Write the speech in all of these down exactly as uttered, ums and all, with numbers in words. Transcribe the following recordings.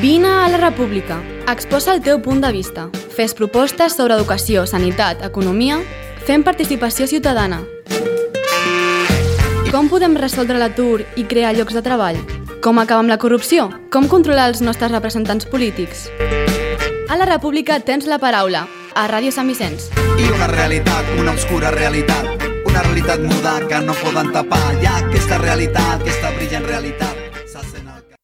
Vine a la República. Exposa el teu punt de vista. Fes propostes sobre educació, sanitat, economia. Fem participació ciutadana. Com podem resoldre l'atur i crear llocs de treball? Com acabar amb la corrupció? Com controlar els nostres representants polítics? A la República tens la paraula. A Ràdio Sant Vicenç. I una realitat, una obscura realitat. Una realitat muda que no poden tapar. Hi ha aquesta realitat, aquesta brillant realitat. S'assent al cap.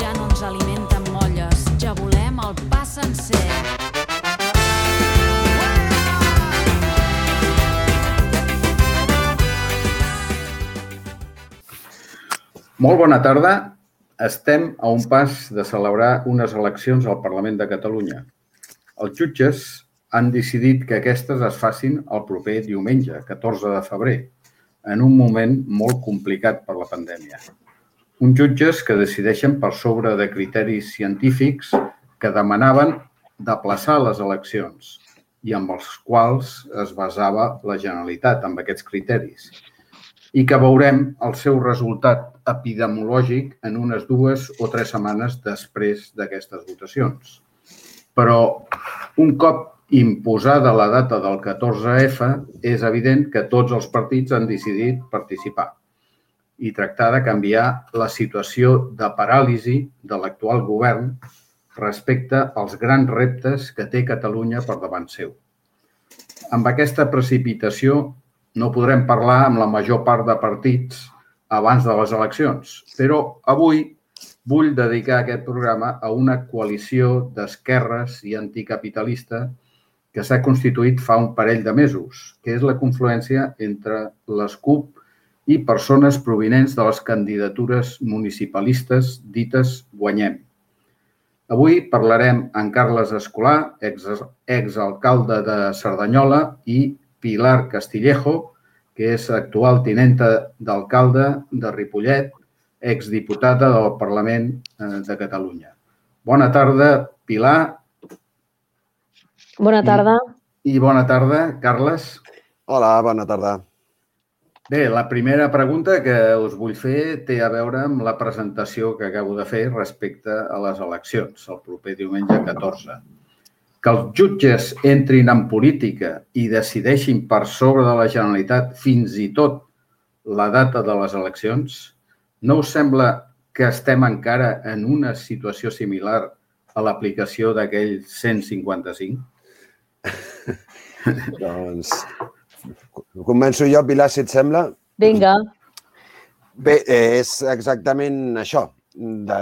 Ja no ens alimenten molles, ja volem el pa sencer. Molt bona tarda. Estem a un pas de celebrar unes eleccions al Parlament de Catalunya. Els jutges han decidit que aquestes es facin el proper diumenge, catorze de febrer, en un moment molt complicat per la pandèmia. Uns jutges que decideixen per sobre de criteris científics que demanaven d'aplaçar les eleccions i amb els quals es basava la Generalitat, amb aquests criteris, i que veurem el seu resultat epidemiològic en unes dues o tres setmanes després d'aquestes votacions. Però un cop imposada la data del catorze efa, és evident que tots els partits han decidit participar i tractar de canviar la situació de paràlisi de l'actual govern respecte als grans reptes que té Catalunya per davant seu. Amb aquesta precipitació no podrem parlar amb la major part de partits abans de les eleccions, però avui vull dedicar aquest programa a una coalició d'esquerres i anticapitalista que s'ha constituït fa un parell de mesos, que és la confluència entre les CUP i persones provinents de les candidatures municipalistes dites Guanyem. Avui parlarem amb Carles Escolà, exalcalde de Cerdanyola, i Pilar Castillejo, que és actual tinenta d'alcalde de Ripollet, exdiputada del Parlament de Catalunya. Bona tarda, Pilar. Bona tarda. I, i bona tarda, Carles. Hola, bona tarda. Bé, la primera pregunta que us vull fer té a veure amb la presentació que acabo de fer respecte a les eleccions, el proper diumenge catorze. Que els jutges entrin en política i decideixin per sobre de la Generalitat fins i tot la data de les eleccions, no us sembla que estem encara en una situació similar a l'aplicació d'aquell cent cinquanta-cinc? Doncs començo jo, Pilar, si et sembla. Vinga. Bé, és exactament això. De,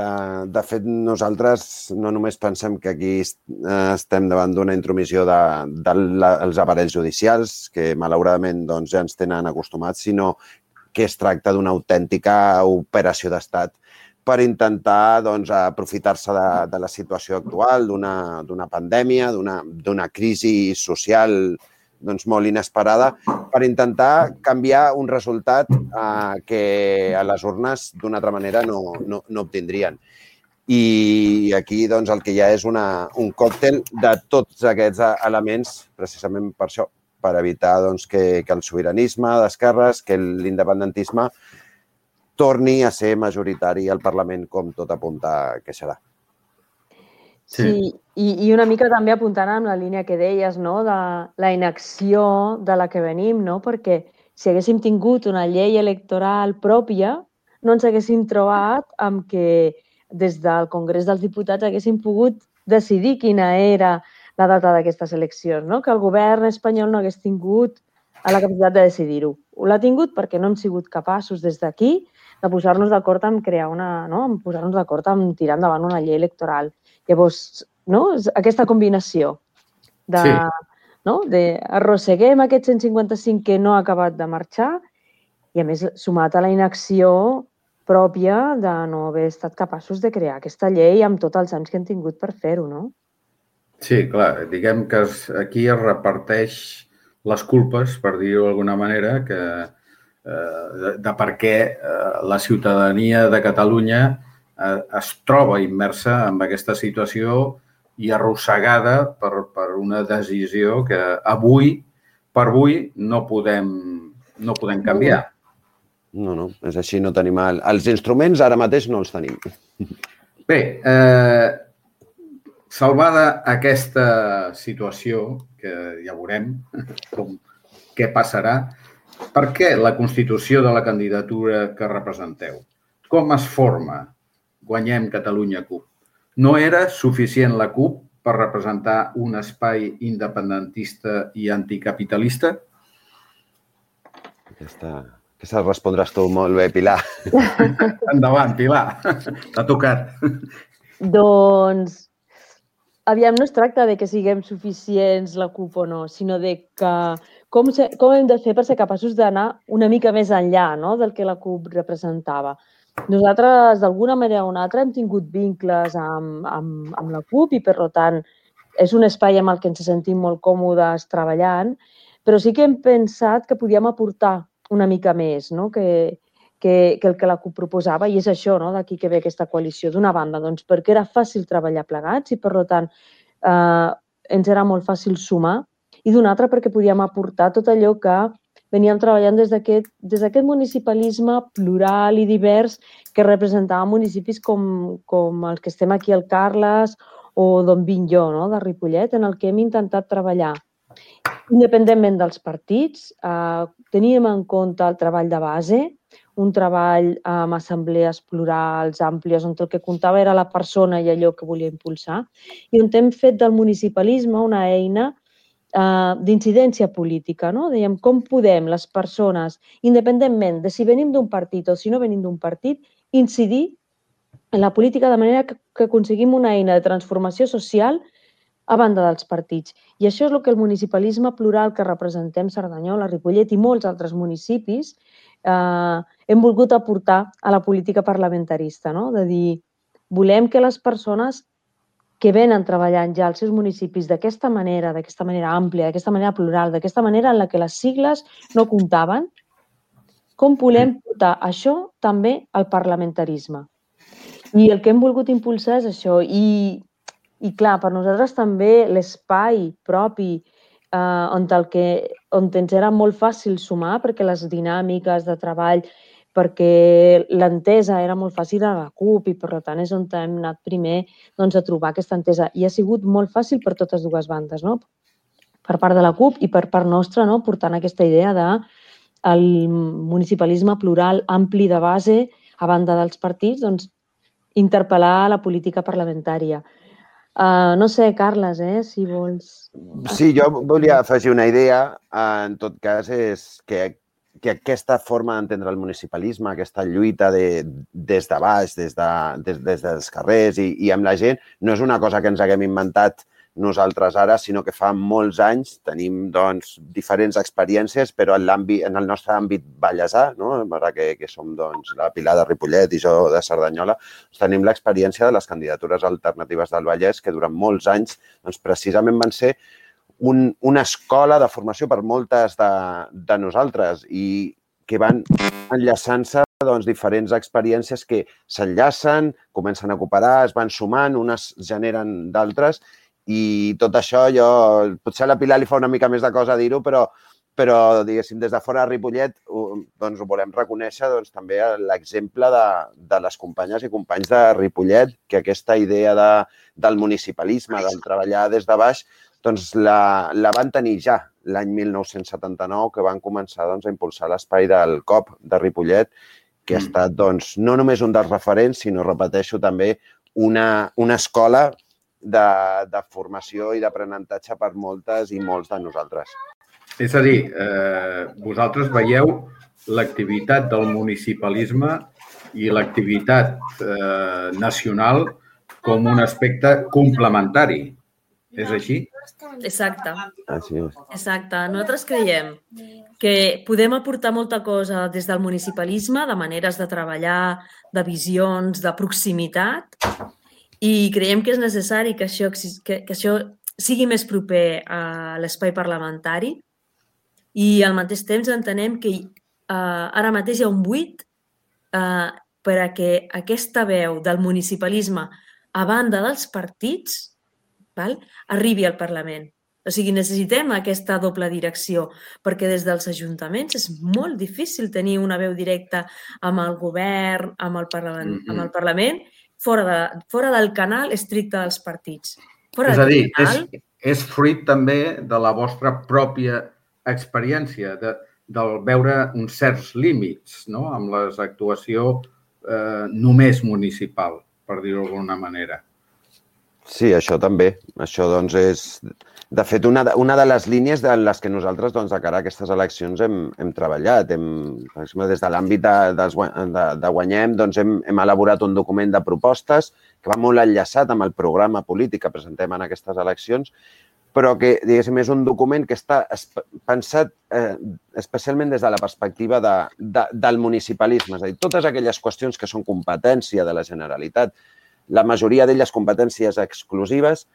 de fet, nosaltres no només pensem que aquí estem davant d'una intromissió dels de, de aparells judicials, que malauradament doncs, ja ens tenen acostumats, sinó que es tracta d'una autèntica operació d'estat per intentar doncs, aprofitar-se de, de la situació actual, d'una pandèmia, d'una crisi social doncs, molt inesperada, per intentar canviar un resultat eh, que a les urnes d'una altra manera no, no, no obtindrien. I aquí doncs, el que hi ha és una, un còctel de tots aquests elements, precisament per això, per evitar doncs, que, que el sobiranisme d'esquerres, que l'independentisme torni a ser majoritari al Parlament, com tot apunta que serà. Sí, i, i una mica també apuntant amb la línia que deies, no?, de la inacció de la que venim, no?, perquè si haguéssim tingut una llei electoral pròpia, no ens haguéssim trobat amb que des del Congrés dels Diputats haguéssim pogut decidir quina era la data d'aquestes eleccions, no?, que el govern espanyol no hagués tingut la capacitat de decidir-ho. L'ha tingut perquè no hem sigut capaços des d'aquí de posar-nos d'acord en crear una, no?, en posar-nos d'acord en tirar endavant una llei electoral. Llavors, no? Aquesta combinació de, sí. no? de arrosseguem aquest cent cinquanta-cinc que no ha acabat de marxar i, a més, sumat a la inacció pròpia de no haver estat capaços de crear aquesta llei amb tots els anys que hem tingut per fer-ho, no? Sí, clar. Diguem que aquí es reparteix les culpes, per dir-ho d'alguna manera, que, eh, de, de per què eh, la ciutadania de Catalunya es troba immersa en aquesta situació i arrossegada per, per una decisió que avui, per avui, no podem, no podem canviar. No, no, és així, no tenim... El... Els instruments ara mateix no els tenim. Bé, eh, salvada aquesta situació, que ja veurem com, què passarà, per què la constitució de la candidatura que representeu? Com es forma Guanyem Catalunya CUP? No era suficient la CUP per representar un espai independentista i anticapitalista? Aquesta, aquesta respondràs tu molt bé, Pilar. Endavant, Pilar. T'ha tocat. Doncs, aviam, no es tracta de que siguem suficients la CUP o no, sinó de que com, se, com hem de fer per ser capaços d'anar una mica més enllà, no?, del que la CUP representava. Nosaltres, d'alguna manera o una altra, hem tingut vincles amb, amb, amb la CUP i, per tant, és un espai amb el que ens sentim molt còmodes treballant, però sí que hem pensat que podíem aportar una mica més, no?, que, que, que el que la CUP proposava, i és això, no?, d'aquí que ve aquesta coalició. D'una banda, doncs, perquè era fàcil treballar plegats i, per tant, eh, ens era molt fàcil sumar, i d'una altra perquè podíem aportar tot allò que veníem treballant des d'aquest des d'aquest municipalisme plural i divers que representava municipis com, com els que estem aquí al Carles o d'on vinc jo, no?, de Ripollet, en el que hem intentat treballar independentment dels partits. Eh, teníem en compte el treball de base, un treball amb assemblees plurals, àmplies, on el que comptava era la persona i allò que volia impulsar, i on hem fet del municipalisme una eina Uh, d'incidència política, no? Dèiem, com podem les persones, independentment de si venim d'un partit o si no venim d'un partit, incidir en la política de manera que, que aconseguim una eina de transformació social a banda dels partits. I això és el que el municipalisme plural que representem Cerdanyola, Ripollet i molts altres municipis eh, hem volgut aportar a la política parlamentarista, no? De dir, volem que les persones que venen treballant ja als seus municipis d'aquesta manera, d'aquesta manera àmplia, d'aquesta manera plural, d'aquesta manera en la que les sigles no comptaven, com volem portar això també al parlamentarisme. I el que hem volgut impulsar és això. I, i clar, per nosaltres també l'espai propi eh, on, el que, on ens era molt fàcil sumar, perquè les dinàmiques de treball, perquè l'entesa era molt fàcil a la CUP i, per tant, és on hem anat primer doncs, a trobar aquesta entesa. I ha sigut molt fàcil per totes dues bandes, no? Per part de la CUP i per part nostra, no?, portant aquesta idea del municipalisme plural ampli de base, a banda dels partits, doncs, interpel·lar la política parlamentària. Uh, no sé, Carles, eh, si vols... Sí, jo volia afegir una idea. En tot cas, és que que aquesta forma d'entendre el municipalisme, aquesta lluita de, des de baix, des, de, des, des dels carrers i, i amb la gent, no és una cosa que ens haguem inventat nosaltres ara, sinó que fa molts anys tenim doncs, diferents experiències, però en, en el nostre àmbit vallesà, no? Ara que, que som doncs, la Pilar de Ripollet i jo de Cerdanyola, doncs, tenim l'experiència de les candidatures alternatives del Vallès, que durant molts anys doncs, precisament van ser Un, una escola de formació per moltes de, de nosaltres i que van enllaçant-se doncs, diferents experiències que s'enllacen, comencen a cooperar, es van sumant, unes generen d'altres i tot això jo, potser a la Pilar li fa una mica més de cosa dir-ho, però, però diguéssim, des de fora de Ripollet doncs, ho volem reconèixer doncs, també l'exemple de, de les companyes i companys de Ripollet, que aquesta idea de, del municipalisme, del treballar des de baix, doncs la, la van tenir ja l'any mil nou-cents setanta-nou, que van començar doncs, a impulsar l'espai del C O P de Ripollet, que ha estat doncs, no només un dels referents, sinó, repeteixo, també una, una escola de, de formació i d'aprenentatge per moltes i molts de nosaltres. És a dir, eh, vosaltres veieu l'activitat del municipalisme i l'activitat eh, nacional com un aspecte complementari. És així? Exacte. Així és. Exacte. Nosaltres creiem que podem aportar molta cosa des del municipalisme, de maneres de treballar, de visions, de proximitat, i creiem que és necessari que això, que, que això sigui més proper a l'espai parlamentari i al mateix temps entenem que eh, ara mateix hi ha un buit eh, per a que aquesta veu del municipalisme a banda dels partits val, arribi al Parlament. O sigui, necessitem aquesta doble direcció, perquè des dels ajuntaments és molt difícil tenir una veu directa amb el govern, amb el Parlament, mm-hmm. amb el Parlament fora, de, fora del canal estricte dels partits. Fora és a dir, canal... és, és fruit també de la vostra pròpia experiència, de, del veure uns certs límits, no?, amb l'actuació eh, només municipal, per dir-ho d'alguna manera. Sí, això també. Això, doncs, és... De fet, una de, una de les línies de les que nosaltres, doncs, de cara a aquestes eleccions hem, hem treballat. Hem, per exemple, des de l'àmbit de, de, de Guanyem, doncs, hem, hem elaborat un document de propostes que va molt enllaçat amb el programa polític que presentem en aquestes eleccions, però que, diguéssim, és un document que està pensat eh, especialment des de la perspectiva de, de, del municipalisme. És a dir, totes aquelles qüestions que són competència de la Generalitat, la majoria d'elles competències exclusives,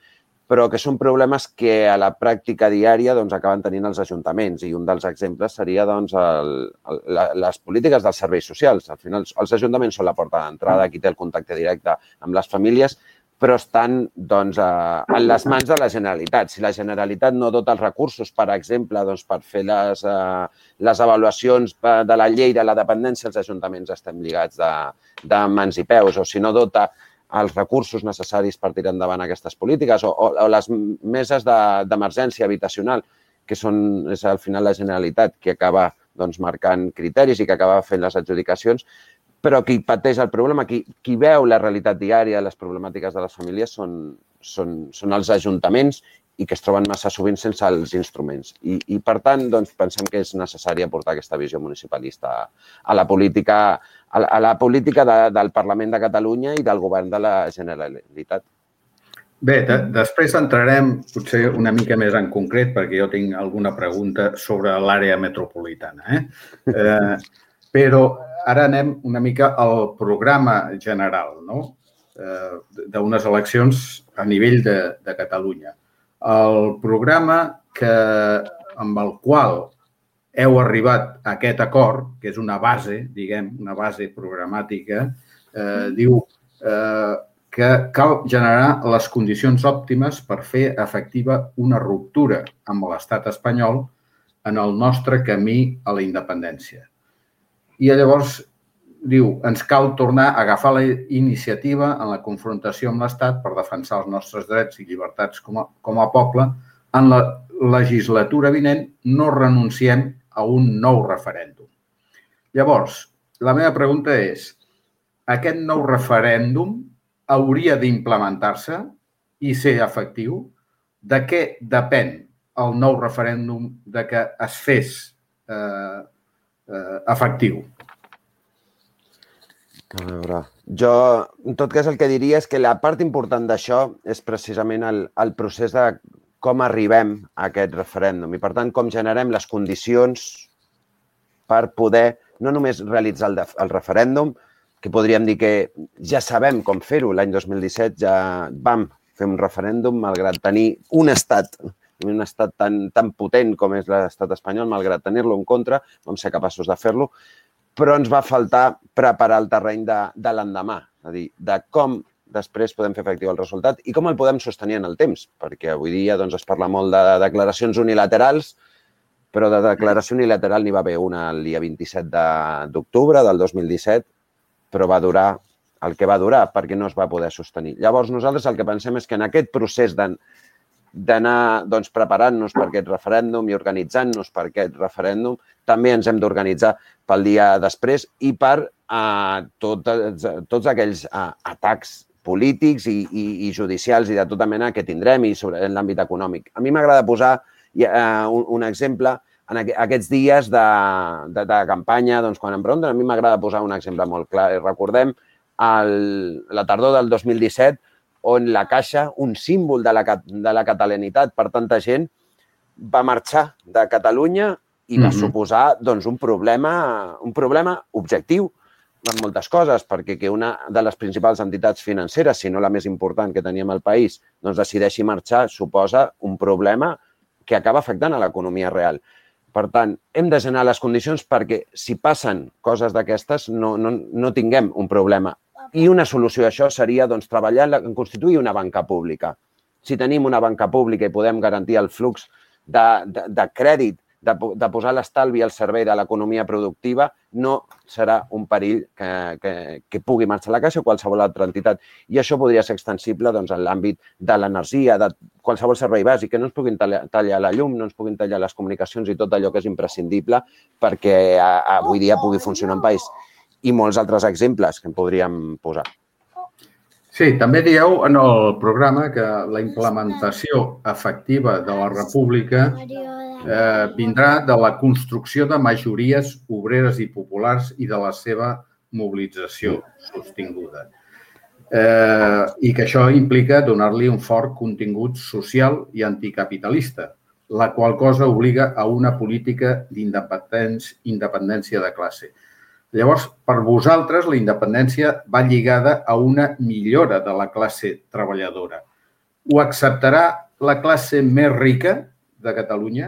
però que són problemes que a la pràctica diària doncs, acaben tenint els ajuntaments. I un dels exemples seria doncs, el, el, les polítiques dels serveis socials. Al final, els ajuntaments són la porta d'entrada, qui té el contacte directe amb les famílies, però estan doncs, a, en les mans de la Generalitat. Si la Generalitat no dota els recursos, per exemple, doncs, per fer les, uh, les avaluacions de la llei de la dependència, els ajuntaments estem lligats de, de mans i peus, o si no dota els recursos necessaris per tirar endavant aquestes polítiques o, o, o les meses d'emergència de, habitacional, que són, és al final la Generalitat que acaba doncs, marcant criteris i que acaba fent les adjudicacions, però qui pateix el problema, qui, qui veu la realitat diària de les problemàtiques de les famílies són, són, són els ajuntaments i que es troben massa sovint sense els instruments. I, i per tant, doncs, pensem que és necessari aportar aquesta visió municipalista a la política, a la política de, del Parlament de Catalunya i del Govern de la Generalitat. Bé, de, després entrarem potser una mica més en concret, perquè jo tinc alguna pregunta sobre l'àrea metropolitana. Eh? Eh, però ara anem una mica al programa general, no? eh, d'unes eleccions a nivell de, de Catalunya. El programa que, amb el qual heu arribat a aquest acord, que és una base, diguem, una base programàtica, eh, diu eh, que cal generar les condicions òptimes per fer efectiva una ruptura amb l'Estat espanyol en el nostre camí a la independència. I llavors diu, ens cal tornar a agafar la iniciativa en la confrontació amb l'Estat per defensar els nostres drets i llibertats com a, com a poble. En la legislatura vinent no renunciem a un nou referèndum. Llavors, la meva pregunta és, aquest nou referèndum hauria d'implementar-se i ser efectiu? De què depèn el nou referèndum de que es fes eh, eh, efectiu? A veure, jo, en tot cas, el que diria és que la part important d'això és precisament el, el procés de com arribem a aquest referèndum i, per tant, com generem les condicions per poder no només realitzar el, el referèndum, que podríem dir que ja sabem com fer-ho. L'any dos mil disset ja vam fer un referèndum, malgrat tenir un estat, un estat tan, tan potent com és l'estat espanyol, malgrat tenir-lo en contra, vam ser capaços de fer-lo, però ens va faltar preparar el terreny de, de l'endemà, és a dir, de com després podem fer efectiu el resultat i com el podem sostenir en el temps, perquè avui dia doncs, es parla molt de declaracions unilaterals, però de declaració unilateral n'hi va haver una el dia vint-i-set d'octubre del dos mil disset, però va durar el que va durar perquè no es va poder sostenir. Llavors, nosaltres el que pensem és que en aquest procés de d'anar doncs, preparant-nos per aquest referèndum i organitzant-nos per aquest referèndum, també ens hem d'organitzar pel dia després i per eh, tot, tots aquells eh, atacs polítics i, i, i judicials i de tota mena que tindrem i sobre, en l'àmbit econòmic. A mi m'agrada posar eh, un, un exemple en aqu aquests dies de, de, de campanya, doncs, quan em pregunten, a mi m'agrada posar un exemple molt clar. Recordem el, la tardor del dos mil disset, on la Caixa, un símbol de la, de la catalanitat per tanta gent, va marxar de Catalunya i va mm-hmm. suposar doncs, un, problema, un problema objectiu en moltes coses, perquè que una de les principals entitats financeres, si no la més important que teníem al país, doncs decideixi marxar, suposa un problema que acaba afectant a l'economia real. Per tant, hem de generar les condicions perquè si passen coses d'aquestes no, no, no tinguem un problema. I una solució a això seria doncs, treballar en, la, en constituir una banca pública. Si tenim una banca pública i podem garantir el flux de, de, de crèdit, de, de posar l'estalvi al servei de l'economia productiva, no serà un perill que, que, que pugui marxar a la Caixa o qualsevol altra entitat. I això podria ser extensible doncs, en l'àmbit de l'energia, de qualsevol servei bàsic, que no ens puguin tallar, tallar la llum, no ens puguin tallar les comunicacions i tot allò que és imprescindible perquè a, a, avui dia pugui funcionar en país. I molts altres exemples que en podríem posar. Sí, també dieu en el programa que la implementació efectiva de la República eh, vindrà de la construcció de majories obreres i populars i de la seva mobilització sostinguda. Eh, I que això implica donar-li un fort contingut social i anticapitalista, la qual cosa obliga a una política d'independència de classe. Llavors, per vosaltres, la independència va lligada a una millora de la classe treballadora. Ho acceptarà la classe més rica de Catalunya?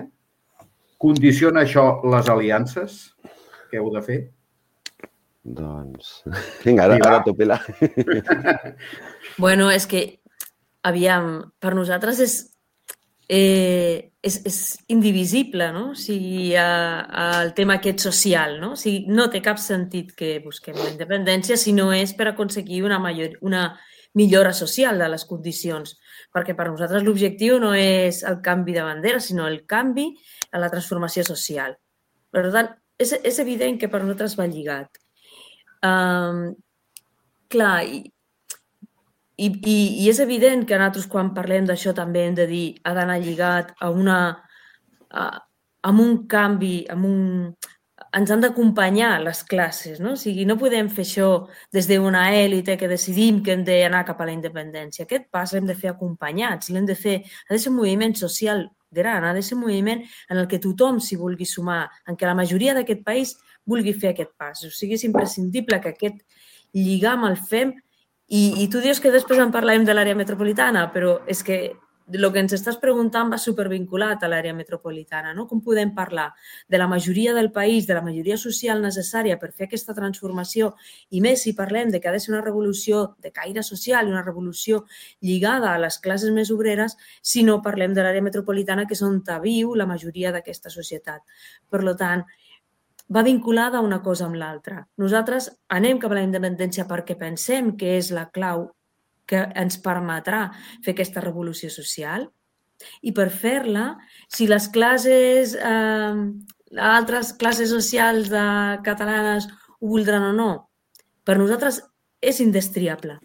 Condiciona això les aliances que heu de fer? Doncs, vinga, ara, ara tu, Pilar. Bueno, és que, aviam, per nosaltres és Eh, és, és indivisible, no? O sigui, a, el tema aquest social, no? O sigui, no té cap sentit que busquem la independència si no és per aconseguir una, major, una millora social de les condicions, perquè per nosaltres l'objectiu no és el canvi de bandera, sinó el canvi a la transformació social. Per tant, és, és evident que per nosaltres va lligat. Um, clar, i I, i, I és evident que nosaltres quan parlem d'això també hem de dir ha d'anar lligat a una, a, amb un canvi, amb un, ens han d'acompanyar les classes, no? O sigui, no podem fer això des d'una èlite que decidim que hem d'anar cap a la independència. Aquest pas l'hem de fer acompanyats, l'hem de fer, ha de ser un moviment social gran, ha de ser un moviment en el que tothom s'hi vulgui sumar, en què la majoria d'aquest país vulgui fer aquest pas. O sigui, és imprescindible que aquest lligam el fem. I, I tu dius que després en parlem de l'àrea metropolitana, però és que el que ens estàs preguntant va supervinculat a l'àrea metropolitana, no? Com podem parlar de la majoria del país, de la majoria social necessària per fer aquesta transformació, i més si parlem de que ha de ser una revolució de caire social i una revolució lligada a les classes més obreres, si no parlem de l'àrea metropolitana, que és on viu la majoria d'aquesta societat. Per tant, va vinculada una cosa amb l'altra. Nosaltres anem cap a la independència perquè pensem que és la clau que ens permetrà fer aquesta revolució social i per fer-la, si les classes, eh, altres classes socials de catalanes ho voldran o no, per nosaltres és indestriable.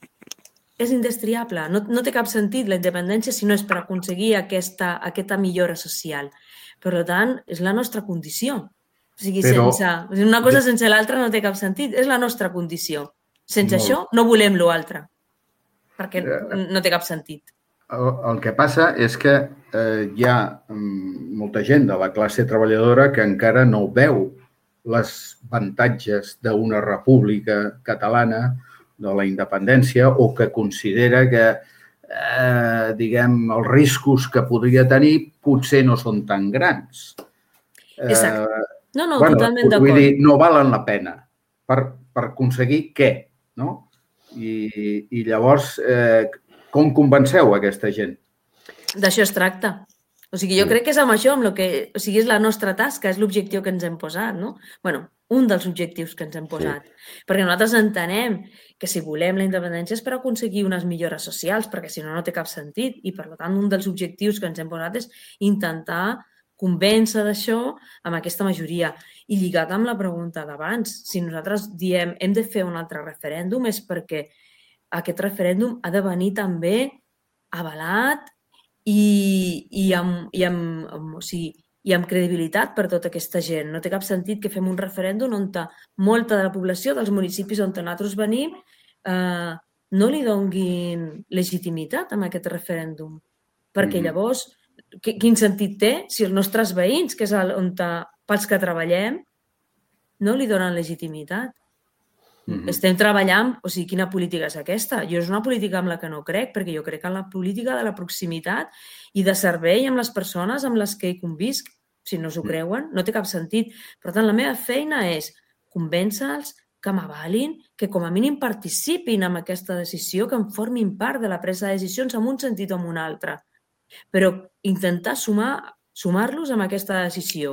És indestriable. No, no té cap sentit la independència si no és per aconseguir aquesta, aquesta millora social. Per tant, és la nostra condició. O sigui, Però... sense, una cosa sense l'altra no té cap sentit. És la nostra condició. Sense Molt. això no volem l'altre, perquè no té cap sentit. El, el que passa és que eh, hi ha molta gent de la classe treballadora que encara no veu les avantatges d'una república catalana, de la independència, o que considera que eh, diguem, els riscos que podria tenir potser no són tan grans. Exacte. Eh, No, no, bueno, totalment d'acord. Vull dir, no valen la pena per, per aconseguir què, no? I, i llavors, eh, com convenceu aquesta gent? D'això es tracta. O sigui, jo crec que és amb això, amb el que, o sigui, és la nostra tasca, és l'objectiu que ens hem posat, no? Bueno, un dels objectius que ens hem posat. Sí. Perquè nosaltres entenem que si volem la independència és per aconseguir unes millores socials, perquè si no, no té cap sentit. I, per tant, un dels objectius que ens hem posat és intentar convèncer d'això amb aquesta majoria. I lligat amb la pregunta d'abans, si nosaltres diem hem de fer un altre referèndum és perquè aquest referèndum ha de venir també avalat i, i, amb, i, amb, amb, o sigui, i amb credibilitat per tota aquesta gent. No té cap sentit que fem un referèndum on molta de la població dels municipis on nosaltres venim eh, no li donguin legitimitat a aquest referèndum. Perquè llavors quin sentit té si els nostres veïns, que és on pels que treballem, no li donen legitimitat? Mm-hmm. Estem treballant, o sigui, quina política és aquesta? Jo és una política amb la que no crec, perquè jo crec en la política de la proximitat i de servei amb les persones amb les que hi convisc. O si no s'ho creuen, no té cap sentit. Per tant, la meva feina és convèncer-los que m'avalin, que com a mínim participin en aquesta decisió, que en formin part de la presa de decisions en un sentit o en un altre. Però intentar sumar, sumar-los amb aquesta decisió.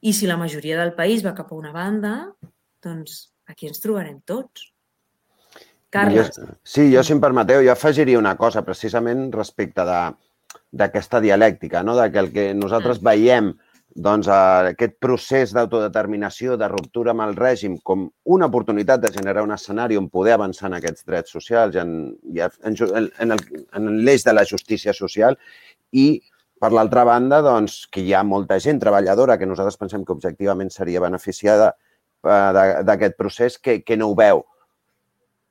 I si la majoria del país va cap a una banda, doncs aquí ens trobarem tots. Carles. Jo, sí, jo, si em permeteu, jo afegiria una cosa precisament respecte d'aquesta dialèctica, no? De que el que nosaltres veiem doncs, aquest procés d'autodeterminació, de ruptura amb el règim, com una oportunitat de generar un escenari on poder avançar en aquests drets socials, en, en, en, en l'eix de la justícia social, i, per l'altra banda, doncs, que hi ha molta gent treballadora que nosaltres pensem que objectivament seria beneficiada d'aquest procés, que, que no ho veu.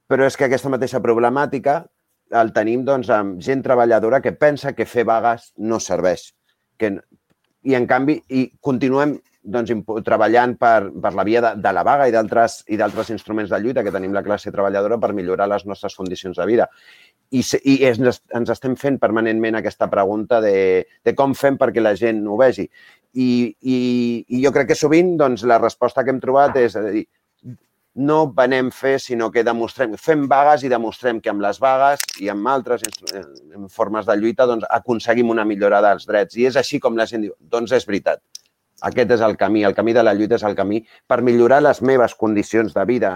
Però és que aquesta mateixa problemàtica el tenim doncs, amb gent treballadora que pensa que fer vagues no serveix. Que, I, en canvi, i continuem doncs, treballant per, per la via de, de la vaga i d'altres i d'altres instruments de lluita que tenim la classe treballadora per millorar les nostres condicions de vida. I, i ens, ens estem fent permanentment aquesta pregunta de, de com fem perquè la gent ho vegi. I, i, i jo crec que sovint doncs, la resposta que hem trobat és a dir, no venem fer, sinó que demostrem, fem vagues i demostrem que amb les vagues i amb altres formes de lluita doncs, aconseguim una millora dels drets. I és així com la gent diu, doncs és veritat. Aquest és el camí, el camí de la lluita és el camí per millorar les meves condicions de vida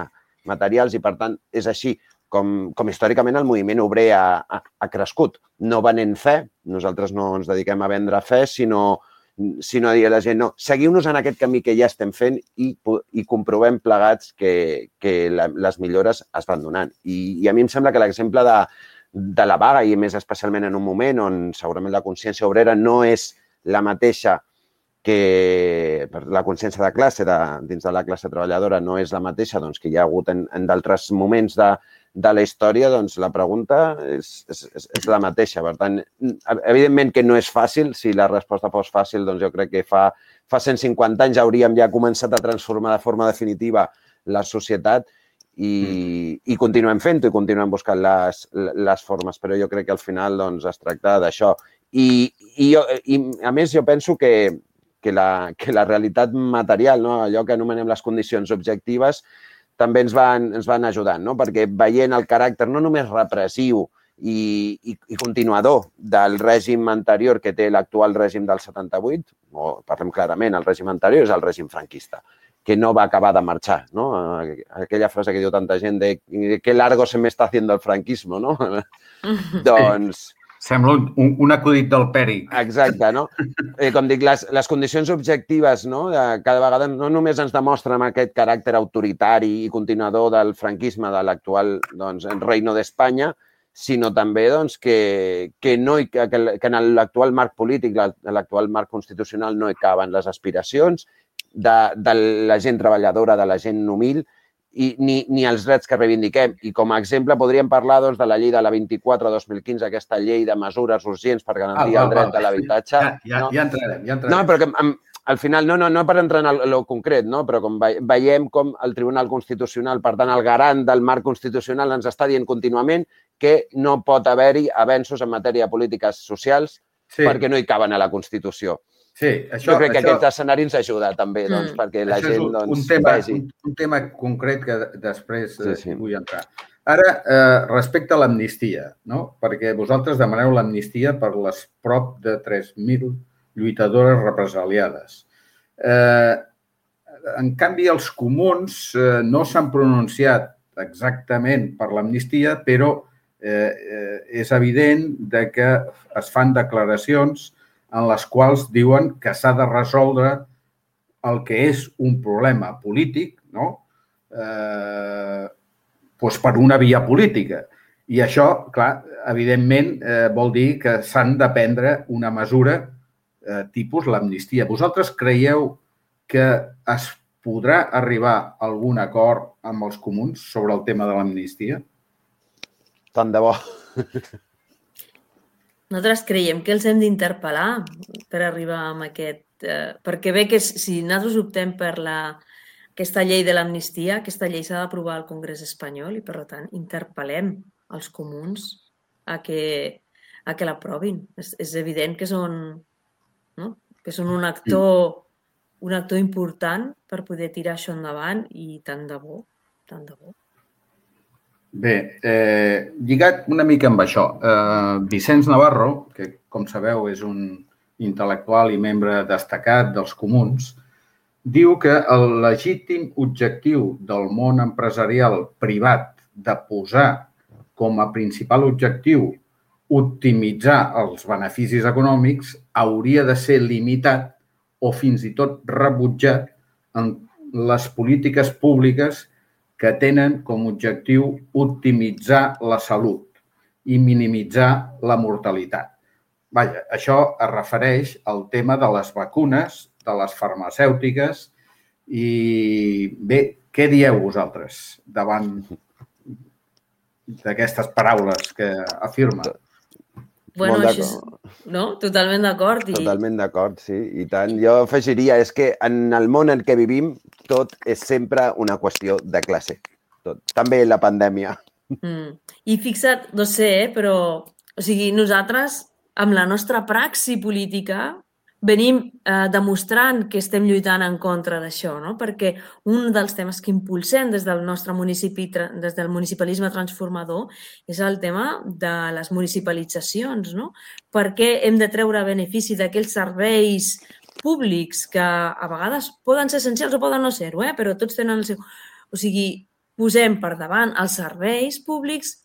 materials i, per tant, és així com, com històricament el moviment obrer ha, ha, ha crescut. No venent fe, nosaltres no ens dediquem a vendre fe, sinó sinó a dir a la gent, no, seguiu-nos en aquest camí que ja estem fent i, i comprovem plegats que, que la, les millores es van donant. I, i a mi em sembla que l'exemple de, de la vaga, i més especialment en un moment on segurament la consciència obrera no és la mateixa que la consciència de classe, de, dins de la classe treballadora, no és la mateixa doncs, que hi ha hagut en, en d'altres moments de, de la història, doncs la pregunta és, és, és la mateixa. Per tant, evidentment que no és fàcil. Si la resposta fos fàcil, doncs jo crec que fa, fa cent cinquanta anys hauríem ja començat a transformar de forma definitiva la societat i, i continuem fent-ho i continuem buscant les, les formes. Però jo crec que al final doncs, es tracta d'això. I, i, jo, I a més jo penso que, que, la, que la realitat material, no? Allò que anomenem les condicions objectives, també ens van, ens van ajudant, no? Perquè veient el caràcter no només repressiu i, i, i continuador del règim anterior que té l'actual règim del setanta-vuit, o parlem clarament, el règim anterior és el règim franquista, que no va acabar de marxar, no? Aquella frase que diu tanta gent de que largo se me está haciendo el franquismo, no? Doncs... Sembla un, un, un acudit del Pèric. Exacte, no? Eh, com dic, les, les condicions objectives, no? De, cada vegada no només ens demostren aquest caràcter autoritari i continuador del franquisme de l'actual doncs, Reino d'Espanya, sinó també doncs, que, que, no hi, que, que en l'actual marc polític, l'actual marc constitucional, no hi caben les aspiracions de, de la gent treballadora, de la gent humil, i ni, ni els drets que reivindiquem. I com a exemple podríem parlar doncs, de la llei de la vint-i-quatre dos mil quinze, aquesta llei de mesures urgents per garantir ah, el dret ah, de l'habitatge. Ja, ja, no? ja entrarem, ja entrarem. No, però que, al final, no, no, no per entrar en el concret, no? Però com veiem com el Tribunal Constitucional, per tant, el garant del marc constitucional ens està dient contínuament que no pot haver-hi avenços en matèria de polítiques socials sí. perquè no hi caben a la Constitució. Sí, això, jo crec que això, aquest escenari ens ajuda també, doncs, mm. perquè la gent un, doncs, un tema, vegi. Un, un tema concret que després sí, sí. vull entrar. Ara, eh, respecte a l'amnistia, no? Perquè vosaltres demaneu l'amnistia per les prop de tres mil lluitadores represaliades. Eh, en canvi, els comuns eh, no s'han pronunciat exactament per l'amnistia, però eh, eh, és evident de que es fan declaracions en les quals diuen que s'ha de resoldre el que és un problema polític, no? Eh, doncs per una via política. I això, clar, evidentment, eh, vol dir que s'han de prendre una mesura eh, tipus l'amnistia. Vosaltres creieu que es podrà arribar a algun acord amb els comuns sobre el tema de l'amnistia? Tant de bo. Nosaltres creiem que els hem d'interpel·lar per arribar a aquest... Eh, perquè bé que si nosaltres optem per la, aquesta llei de l'amnistia, aquesta llei s'ha d'aprovar al Congrés espanyol i, per tant, interpel·lem els comuns a que, a que l'aprovin. És, és evident que són... No? que són un actor, un actor important per poder tirar això endavant i tant de bo, tant de bo. Bé, eh, lligat una mica amb això, eh, Vicenç Navarro, que com sabeu és un intel·lectual i membre destacat dels comuns, diu que el legítim objectiu del món empresarial privat de posar com a principal objectiu optimitzar els beneficis econòmics hauria de ser limitat o fins i tot rebutjat en les polítiques públiques que tenen com a objectiu optimitzar la salut i minimitzar la mortalitat. Vaja, això es refereix al tema de les vacunes, de les farmacèutiques i bé, què dieu vosaltres davant d'aquestes paraules que afirma? Bueno, Molt això és, no? Totalment d'acord. I... Totalment d'acord, sí, i tant. Jo afegiria, és que en el món en què vivim tot és sempre una qüestió de classe. Tot. També la pandèmia. Mm. I fixa't, no sé, eh, però o sigui, nosaltres, amb la nostra praxi política, venim eh, demostrant que estem lluitant en contra d'això, no? Perquè un dels temes que impulsem des del nostre municipi, des del municipalisme transformador, és el tema de les municipalitzacions, no? Perquè hem de treure benefici d'aquells serveis públics que a vegades poden ser essencials o poden no ser-ho, eh? Però tots tenen el seu... O sigui, posem per davant els serveis públics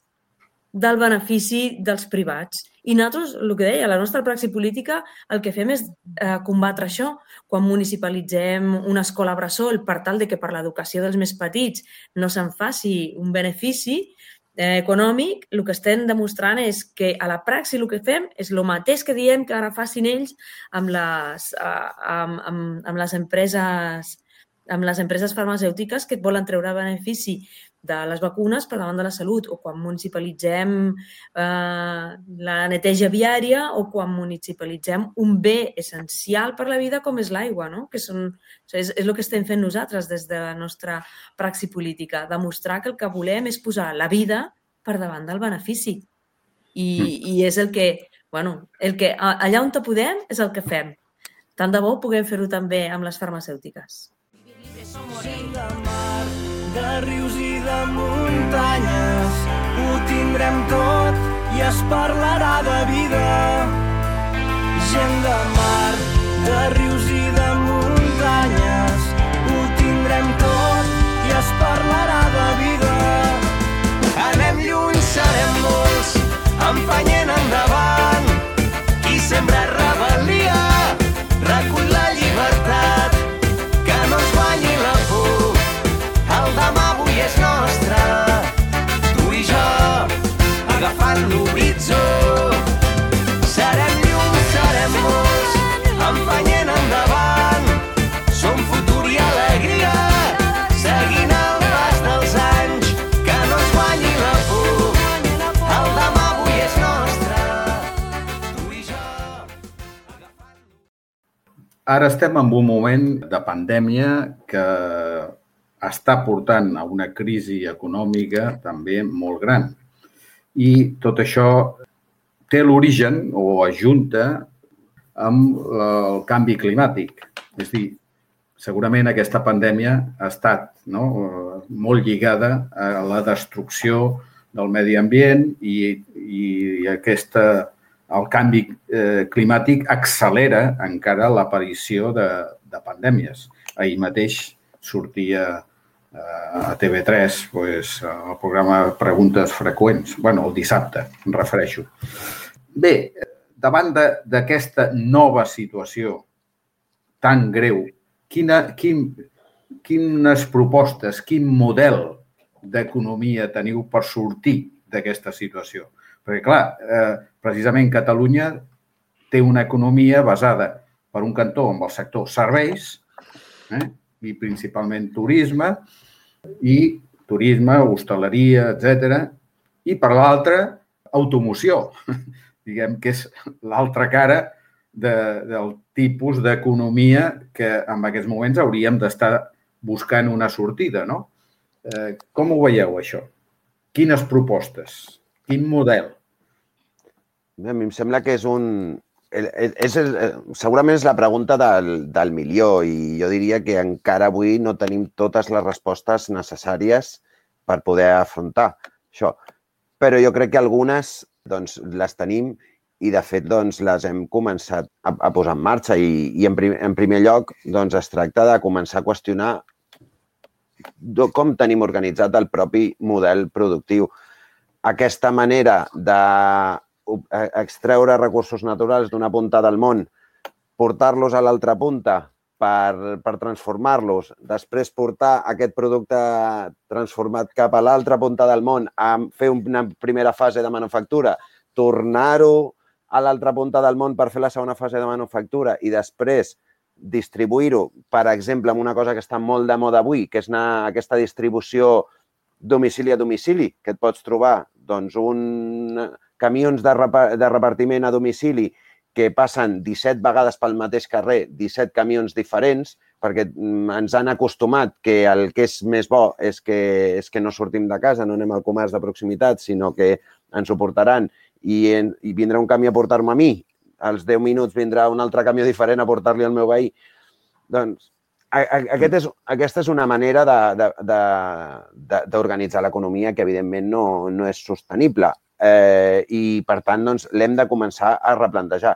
del benefici dels privats. I nosaltres, el que deia, la nostra praxi política, el que fem és eh, combatre això. Quan municipalitzem una escola bressol per tal de que per l'educació dels més petits no se'n faci un benefici eh, econòmic, el que estem demostrant és que a la praxi el que fem és el mateix que diem que ara facin ells amb les, eh, amb, amb, amb les empreses amb les empreses farmacèutiques que et volen treure benefici de les vacunes per davant de la salut, o quan municipalitzem eh, la neteja viària o quan municipalitzem un bé essencial per la vida com és l'aigua, no? Que són, és, és el que estem fent nosaltres des de la nostra praxi política, demostrar que el que volem és posar la vida per davant del benefici. I, i és el que, bueno, el que allà on te podem és el que fem. Tant de bo puguem fer-ho també amb les farmacèutiques. Gent de mar, de rius i de muntanyes, ho tindrem tot i es parlarà de vida. Gent de mar, de rius i de muntanyes, ho tindrem tot i es parlarà de vida. Anem lluny, serem molts, empenyent endavant. Qui sembra rebel·lia, recull la llibertat. Que no ens guanyi la por, el demà avui és nostre. Tu i jo, agafant l'horitzó. Serem llum, serem molts, empenyent endavant. Som futur i alegria, seguint el pas dels anys. Que no ens guanyi la por, el demà avui és nostre. Tu i jo, agafant... Ara estem en un moment de pandèmia que està portant a una crisi econòmica també molt gran. I tot això té l'origen o ajunta amb el canvi climàtic. És a dir, segurament aquesta pandèmia ha estat, no, molt lligada a la destrucció del medi ambient i, i aquesta... el canvi eh, climàtic accelera encara l'aparició de, de pandèmies. Ahir mateix sortia eh, a T V tres pues, el programa Preguntes Freqüents. Bueno, el dissabte, em refereixo. Bé, davant d'aquesta nova situació tan greu, quina, quin, quines propostes, quin model d'economia teniu per sortir d'aquesta situació? Perquè, clar, eh, precisament Catalunya té una economia basada, per un cantó, en el sector serveis, eh, i principalment turisme, i turisme, hostaleria, etcètera, i per l'altre, automoció, diguem que és l'altra cara de, del tipus d'economia que en aquests moments hauríem d'estar buscant una sortida, no? Eh, com ho veieu, això? Quines propostes? Quin model? A mi em sembla que és un, és, és, segurament és la pregunta del, del milió i jo diria que encara avui no tenim totes les respostes necessàries per poder afrontar això. Però jo crec que algunes doncs, les tenim i, de fet, doncs, les hem començat a, a posar en marxa i, i en, prim, en primer lloc doncs, es tracta de començar a qüestionar com tenim organitzat el propi model productiu. Aquesta manera de extreure recursos naturals d'una punta del món, portar-los a l'altra punta per, per transformar-los, després portar aquest producte transformat cap a l'altra punta del món, a fer una primera fase de manufactura, tornar-ho a l'altra punta del món per fer la segona fase de manufactura i després distribuir-ho, per exemple, amb una cosa que està molt de moda avui, que és anar, aquesta distribució domicili a domicili, que et pots trobar doncs, un camions de, rep de repartiment a domicili que passen disset vegades pel mateix carrer, disset camions diferents, perquè ens han acostumat que el que és més bo és que, és que no sortim de casa, no anem al comerç de proximitat, sinó que ens ho portaran i, en, i vindrà un camió a portar-me a mi, als deu minuts vindrà un altre camió diferent a portar-li al meu veí. Doncs a, a, aquest és, aquesta és una manera d'organitzar l'economia que, evidentment, no, no és sostenible. Eh, I, per tant, doncs, l'hem de començar a replantejar.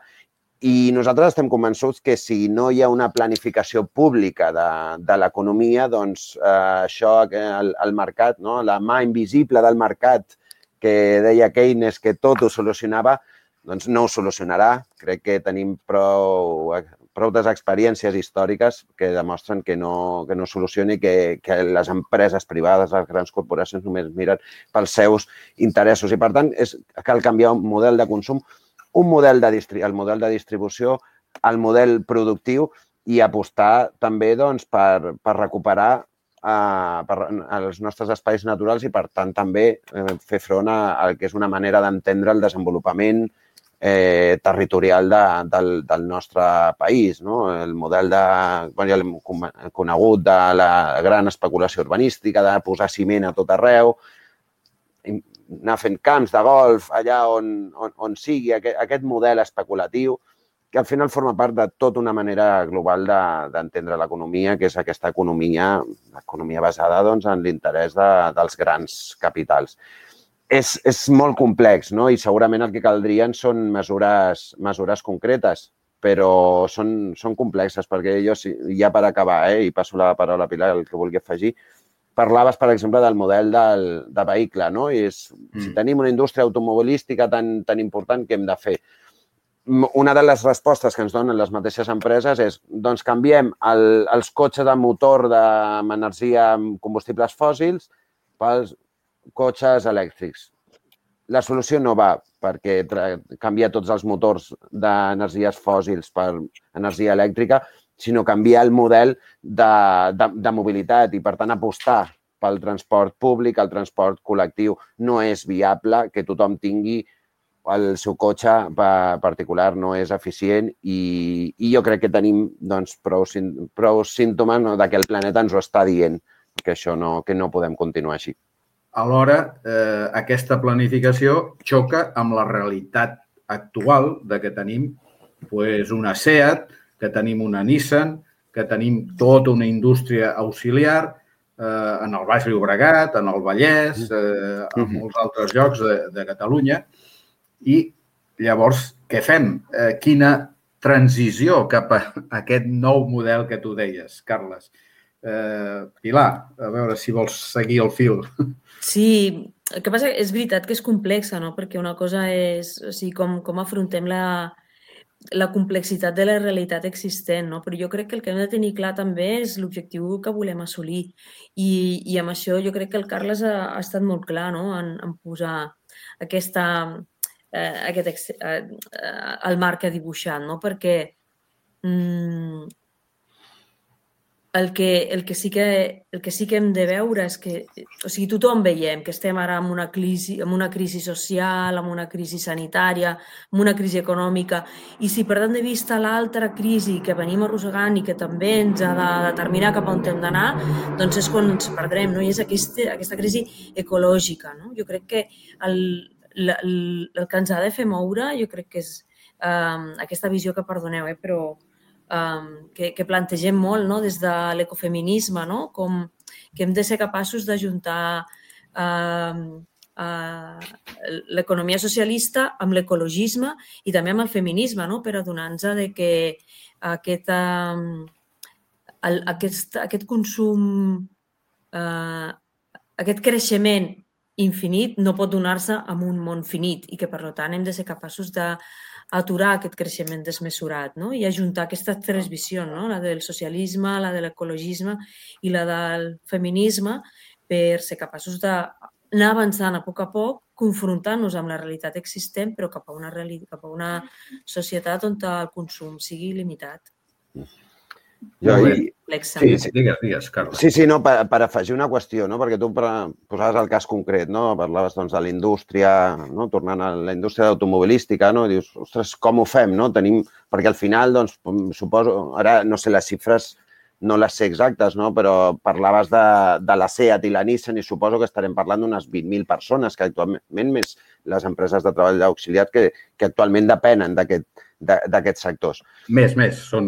I nosaltres estem convençuts que si no hi ha una planificació pública de, de l'economia, doncs eh, això, el, el mercat, no? La mà invisible del mercat que deia Keynes que tot ho solucionava, doncs no ho solucionarà. Crec que tenim prou, prou experiències històriques que demostren que no, que no solucioni, que, que les empreses privades, les grans corporacions només miren pels seus interessos. I, per tant, és, cal canviar un model de consum, un model de, el model de distribució, el model productiu i apostar també doncs, per, per recuperar eh, per, els nostres espais naturals i, per tant, també eh, fer front a, a que és una manera d'entendre el desenvolupament Eh, territorial de, del, del nostre país, no? El model de, bueno, ja l'hem conegut, de la gran especulació urbanística, de posar ciment a tot arreu, anar fent camps de golf allà on, on, on sigui, aquest, aquest model especulatiu, que al final forma part de tota una manera global d'entendre de, l'economia, que és aquesta economia, economia basada doncs, en l'interès de, dels grans capitals. És, és molt complex, no? I segurament el que caldrien són mesures, mesures concretes, però són, són complexes, perquè jo, ja per acabar, eh, i passo la paraula a Pilar, el que vulgui afegir, parlaves, per exemple, del model del, de vehicle, no? I és, mm. si tenim una indústria automobilística tan, tan important, què hem de fer? Una de les respostes que ens donen les mateixes empreses és, doncs, canviem el, els cotxes de motor de, amb energia amb combustibles fòssils pels cotxes elèctrics. La solució no va perquè canviar tots els motors d'energies fòssils per energia elèctrica, sinó canviar el model de, de, de mobilitat i, per tant, apostar pel transport públic, el transport col·lectiu. No és viable que tothom tingui el seu cotxe particular, no és eficient i, i jo crec que tenim doncs, prou, prou símptomes no, que el planeta ens ho està dient, que això no, que no podem continuar així. Alhora, eh, aquesta planificació xoca amb la realitat actual de que tenim pues, una SEAT, que tenim una Nissan, que tenim tota una indústria auxiliar eh, en el Baix Llobregat, en el Vallès, eh, en molts altres llocs de, de Catalunya. I llavors, què fem? Eh, quina transició cap a aquest nou model que tu deies, Carles? Eh, Pilar, a veure si vols seguir el fil. Sí, el que passa és veritat que és complexa, no? Perquè una cosa és o sigui, com, com afrontem la, la complexitat de la realitat existent, no? Però jo crec que el que hem de tenir clar també és l'objectiu que volem assolir. I, i amb això jo crec que el Carles ha, ha estat molt clar, no? en, en posar aquesta, eh, aquest, eh, el marc que ha dibuixat, no? Perquè mm, El que, el, que sí que, el que sí que hem de veure és que, o sigui, tothom veiem que estem ara en una crisi, en una crisi social, en una crisi sanitària, en una crisi econòmica, i si perdem de vista l'altra crisi que venim arrossegant i que també ens ha de determinar cap on hem d'anar, doncs és quan ens perdrem, no? I és aquesta, aquesta crisi ecològica, no? Jo crec que el, el, el que ens ha de fer moure, jo crec que és um, aquesta visió que, perdoneu, eh, però um, que, que plantegem molt, no? Des de l'ecofeminisme, no? Com que hem de ser capaços d'ajuntar um, uh, l'economia socialista amb l'ecologisme i també amb el feminisme, no? Per adonar-nos de que aquest, um, el, aquest, aquest consum, uh, aquest creixement infinit no pot donar-se en un món finit i que, per tant, hem de ser capaços d'aturar aquest creixement desmesurat, no? I ajuntar aquestes tres visions, no? La del socialisme, la de l'ecologisme i la del feminisme, per ser capaços d'anar avançant a poc a poc, confrontant-nos amb la realitat existent, però cap a una, cap a una societat on el consum sigui limitat. Jo, i... Sí, sí, digues, digues, Carles. Sí, sí, no, per, per afegir una qüestió, no? Perquè tu posaves el cas concret, no? Parlaves doncs, de la indústria, no? Tornant a la indústria automobilística, no? Dius, ostres, com ho fem, no? Tenim... Perquè al final, doncs, suposo, ara no sé les xifres, no les sé exactes, no? Però parlaves de, de la SEAT i la Nissan i suposo que estarem parlant d'unes vint mil persones que actualment, més les empreses de treball auxiliar que, que actualment depenen d'aquest d'aquests sectors. Més, més. Són,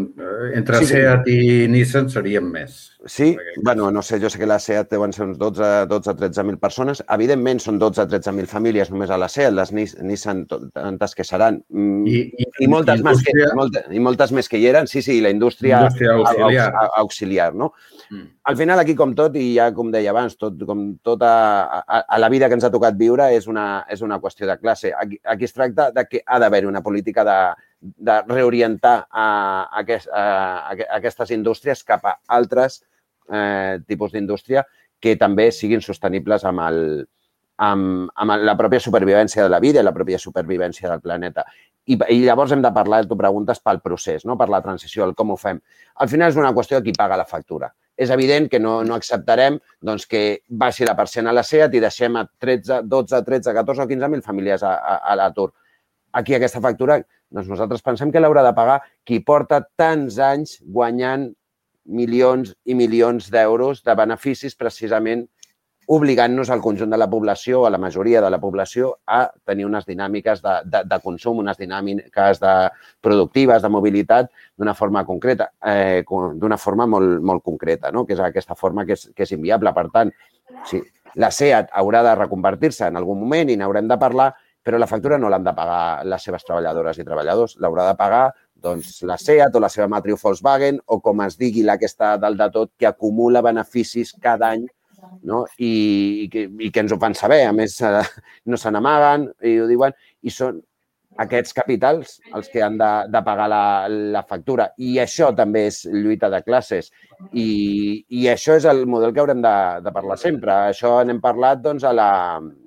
entre sí, SEAT i Nissan serien més. Sí? Bueno, no sé, jo sé que la SEAT deuen ser uns dotze a tretze mil persones. Evidentment, són dotze a tretze mil famílies només a la SEAT, les Nissan tantes que seran. I, i, I, moltes, més que, moltes, i moltes més que hi eren. Sí, sí, la indústria, indústria auxiliar. auxiliar, no? Mm. Al final, aquí, com tot, i ja com deia abans, tot, com tot a, a, a la vida que ens ha tocat viure és una, és una qüestió de classe. Aquí, aquí es tracta de que ha d'haver una política de de reorientar a, aquest, a, a aquestes indústries cap a altres eh, tipus d'indústria que també siguin sostenibles amb, el, amb, amb la pròpia supervivència de la vida i la pròpia supervivència del planeta. I, i llavors hem de parlar, tu preguntes, pel procés, no? Per la transició, el com ho fem. Al final és una qüestió de qui paga la factura. És evident que no, no acceptarem doncs, que baixi la persiana a la SEAT i deixem a tretze, dotze, tretze, catorze o quinze mil famílies a, a, a l'atur. Aquí aquesta factura, doncs nosaltres pensem que l'haurà de pagar qui porta tants anys guanyant milions i milions d'euros de beneficis precisament obligant-nos al conjunt de la població, a la majoria de la població, a tenir unes dinàmiques de, de, de consum, unes dinàmiques de productives, de mobilitat, d'una forma concreta, eh, d'una forma molt, molt concreta, no? Que és aquesta forma que és, que és inviable. Per tant, sí, la SEAT haurà de reconvertir-se en algun moment i n'haurem de parlar, però la factura no l'han de pagar les seves treballadores i treballadors, l'haurà de pagar doncs, la SEAT o la seva matriu Volkswagen o, com es digui, la que està dalt de tot, que acumula beneficis cada any, no? I, i, que, i que ens ho fan saber. A més, eh, no se n'amaguen i ho diuen. I són aquests capitals els que han de, de pagar la, la factura. I això també és lluita de classes. I, i això és el model que haurem de, de parlar sempre. Això n'hem parlat doncs, a la...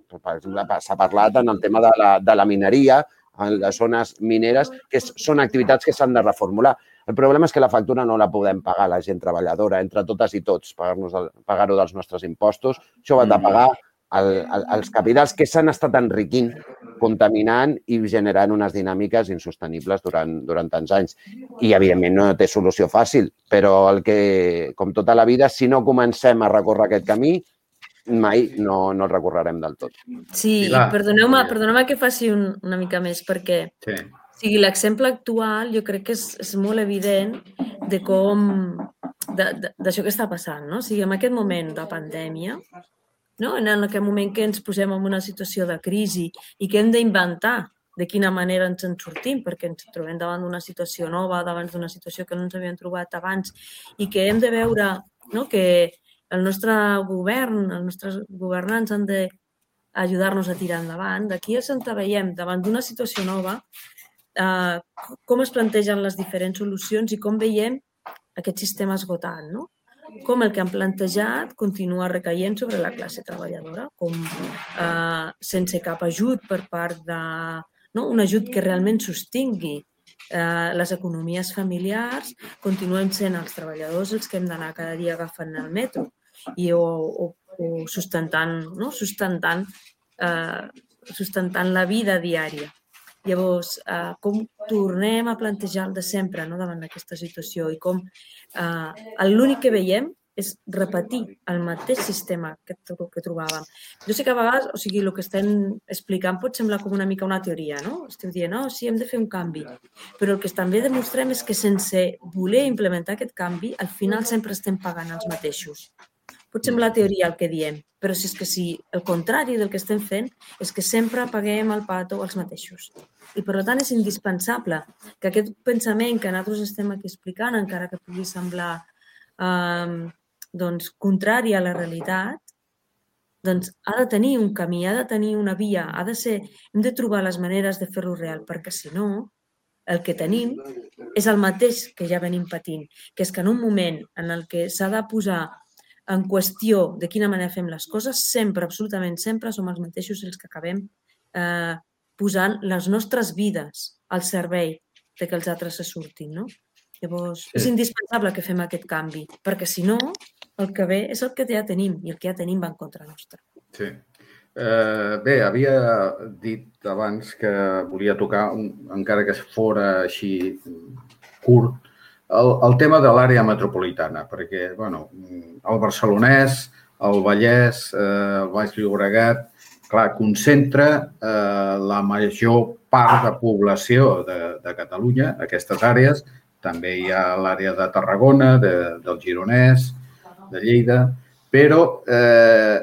Per exemple, s'ha parlat en el tema de la, de la mineria, en les zones mineres, que són activitats que s'han de reformular. El problema és que la factura no la podem pagar la gent treballadora, entre totes i tots, pagar-ho dels nostres impostos. Això ho han de pagar el, el, els capitals que s'han estat enriquint, contaminant i generant unes dinàmiques insostenibles durant, durant tants anys. I, evidentment, no té solució fàcil, però el que, com tota la vida, si no comencem a recórrer aquest camí, mai no, no el recorrerem del tot. Sí, i perdoneu-me perdoneu que faci un, una mica més, perquè sí. O sigui, l'exemple actual jo crec que és, és molt evident de com, d'això que està passant, no? O sigui, en aquest moment de pandèmia, no? En aquest moment que ens posem en una situació de crisi i que hem d'inventar de quina manera ens en sortim, perquè ens trobem davant d'una situació nova, davant d'una situació que no ens havíem trobat abans i que hem de veure, no? Que el nostre govern, els nostres governants han d'ajudar-nos a tirar endavant. D'aquí és on veiem, davant d'una situació nova, eh, com es plantegen les diferents solucions i com veiem aquest sistema esgotat, no? Com el que han plantejat continua recaient sobre la classe treballadora, com eh, sense cap ajut per part de... No? Un ajut que realment sostingui eh, les economies familiars, continuen sent els treballadors els que hem d'anar cada dia agafant el metro i o, o, o sustentant, no? sustentant, eh, sustentant la vida diària. Llavors, eh, com tornem a plantejar el de sempre, no? Davant d'aquesta situació i com eh, l'únic que veiem és repetir el mateix sistema que, que trobàvem. Jo sé que a vegades, o sigui, el que estem explicant pot semblar com una mica una teoria, no? Esteu dient, no, sí, hem de fer un canvi. Però el que també demostrem és que sense voler implementar aquest canvi, al final sempre estem pagant els mateixos. Pot semblar teoria el que diem, però si és que si el contrari del que estem fent és que sempre paguem el pato als mateixos. I per tant és indispensable que aquest pensament que nosaltres estem aquí explicant, encara que pugui semblar eh, doncs, contrari a la realitat, doncs ha de tenir un camí, ha de tenir una via, ha de ser, hem de trobar les maneres de fer-lo real, perquè si no, el que tenim és el mateix que ja venim patint, que és que en un moment en el que s'ha de posar en qüestió de quina manera fem les coses, sempre, absolutament sempre, som els mateixos els que acabem eh, posant les nostres vides al servei de que els altres se surtin, no? Llavors, sí. És indispensable que fem aquest canvi, perquè si no, el que ve és el que ja tenim, i el que ja tenim va en contra nostra. Sí. Eh, bé, havia dit abans que volia tocar, encara que fora així curt, El, el tema de l'àrea metropolitana, perquè bueno, el barcelonès, el Vallès, eh, el Baix Llobregat, clar, concentra eh, la major part de població de, de Catalunya, aquestes àrees. També hi ha l'àrea de Tarragona, de, del Gironès, de Lleida, però eh,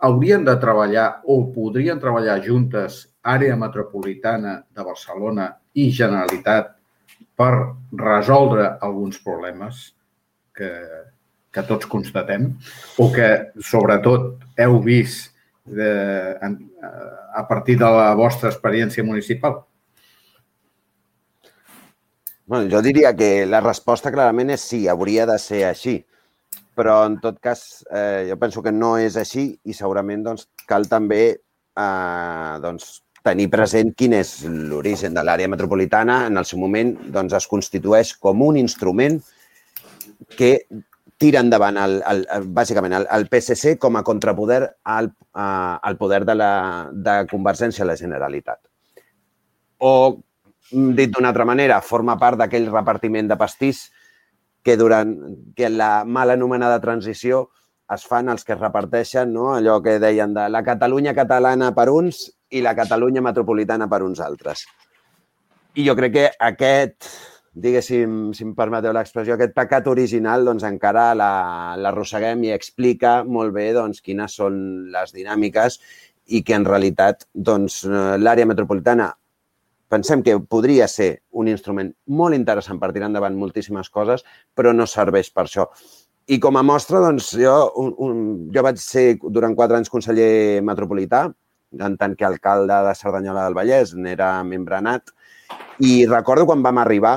haurien de treballar o podrien treballar juntes àrea metropolitana de Barcelona i Generalitat per resoldre alguns problemes que, que tots constatem o que, sobretot, heu vist de, a partir de la vostra experiència municipal? Bueno, jo diria que la resposta clarament és sí, hauria de ser així. Però, en tot cas, eh, jo penso que no és així i segurament doncs, cal també eh, doncs, tenir present quin és l'origen de l'àrea metropolitana. En el seu moment doncs, es constitueix com un instrument que tira endavant, el, el, bàsicament, el, el P S C com a contrapoder al, al poder de, la, de Convergència a la Generalitat. O, dit d'una altra manera, forma part d'aquell repartiment de pastís que durant que la mal anomenada transició es fan els que es reparteixen, no? Allò que deien de la Catalunya catalana per uns i la Catalunya metropolitana per uns altres. I jo crec que aquest, diguéssim, si em permeteu l'expressió, aquest pecat original doncs, encara l'arrosseguem i explica molt bé doncs, quines són les dinàmiques i que en realitat doncs, l'àrea metropolitana pensem que podria ser un instrument molt interessant per tirar endavant moltíssimes coses, però no serveix per això. I com a mostra, doncs, jo, un, un, jo vaig ser durant quatre anys conseller metropolità, en tant que alcalde de Cerdanyola del Vallès, n'era membre nat, i recordo quan vam arribar,